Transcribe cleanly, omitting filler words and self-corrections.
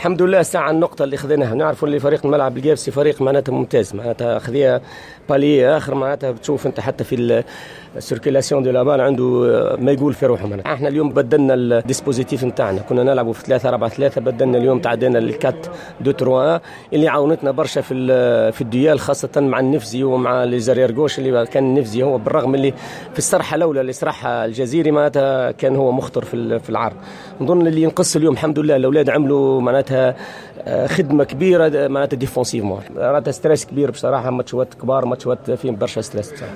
الحمد لله ساعة النقطة اللي خذيناها، نعرفوا اللي فريق الملعب القابسي فريق معناتها ممتاز، معناتها خذيها palier اخر، معناتها بتشوف انت حتى في ال circulation de la balle عنده ما يقول في روحه. معناتها احنا اليوم بدلنا ال dispositif نتاعنا، كنا نلعبوا في 3 4 3، بدلنا اليوم تعدينا لل 4 2 3 اللي عاونتنا برشا في ال duels، خاصة مع النفزي ومع les arrières gauches اللي كان النفزي هو بالرغم اللي في السرحة الأولى اللي سرحها الجزيري معناتها كان هو مخطر في العرض. نظن اللي ينقص اليوم الحمد لله الأولاد عملوا معناتها خدمة كبيرة معناتها défensivement، معناتها stress كبير بصراحة، ماتشات كبار، ماتشات فيهم برشا stress بصراحة.